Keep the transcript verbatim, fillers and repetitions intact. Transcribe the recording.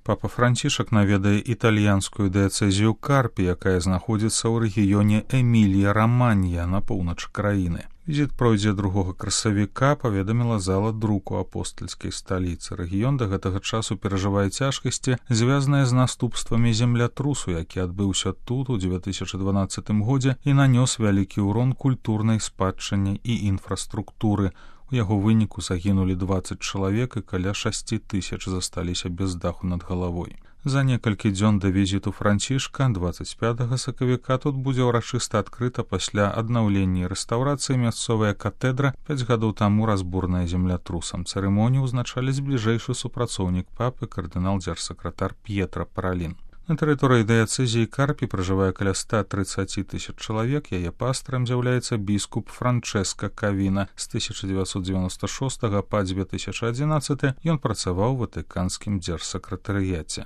Папа Францішак наведае італьянскую дыяцэзію Карпі, якая знаходзіцца ў рэгіёне Эмілія-Раманья на поўначы краіны. Візіт пройдзе другога красавіка, паведаміла зала друку апостальскай сталіцы. Рэгіён да гэтага часу перажывае цяжкасці, звязаныя з наступствамі землятрусу, які адбыўся тут у дзве тысячы дванаццатым годзе і нанёс вялікі ўрон культурнай спадчыне і інфраструктуры. У яго выніку загінулі дваццаць чалавек і каля шасці тысяч засталіся без даху над галавой. За некалькі дзён да візіту Францішка, дваццаць пятага сакавіка, тут будзе ўрачыста адкрыта пасля аднаўлення і рэстаўрацыі мясцовая катэдра, пяць гадоў таму разбурная землятрусам. Цырымонію ўзначаліць бліжэйшы супрацоўнік папы, кардынал-дзяржсакратар П'етра Паралін. На тэрыторыі дыяцэзіі Карпі пражывае каля ста трыццаці тысяч чалавек, яе пастарам з'яўляецца біскуп Франчэска Кавіна. З тысяча дзевяцьсот дзевяноста шостага па дзве тысячы адзінаццаты ён працаваў у ватыканскім дзяржсакратарыяце.